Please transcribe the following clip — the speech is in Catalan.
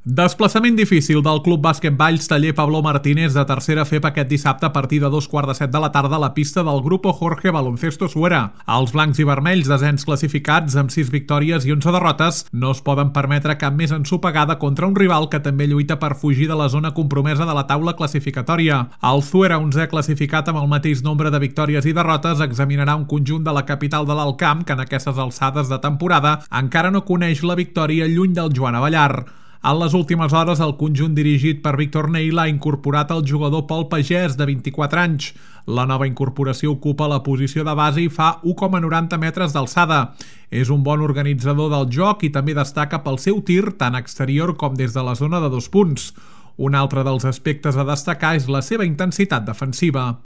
Desplaçament difícil del Club Bàsquet Valls Taller Pablo Martínez de tercera FEP aquest dissabte a partir de 2:15 de la tarda a la pista del Grupo Jorge Baloncesto Suera. Els blancs i vermells, desens classificats amb 6 victòries i 11 derrotes, no es poden permetre cap més ensopegada contra un rival que també lluita per fugir de la zona compromesa de la taula classificatòria. El Suera, 11è classificat amb el mateix nombre de victòries i derrotes, examinarà un conjunt de la capital de l'Alt Camp que en aquestes alçades de temporada encara no coneix la victòria lluny del Joan Abellar. En les últimes hores, el conjunt dirigit per Víctor Neil ha incorporat el jugador Pol Pagès, de 24 anys. La nova incorporació ocupa la posició de base i fa 1,90 metres d'alçada. És un bon organitzador del joc i també destaca pel seu tir, tant exterior com des de la zona de 2 punts. Un altre dels aspectes a destacar és la seva intensitat defensiva.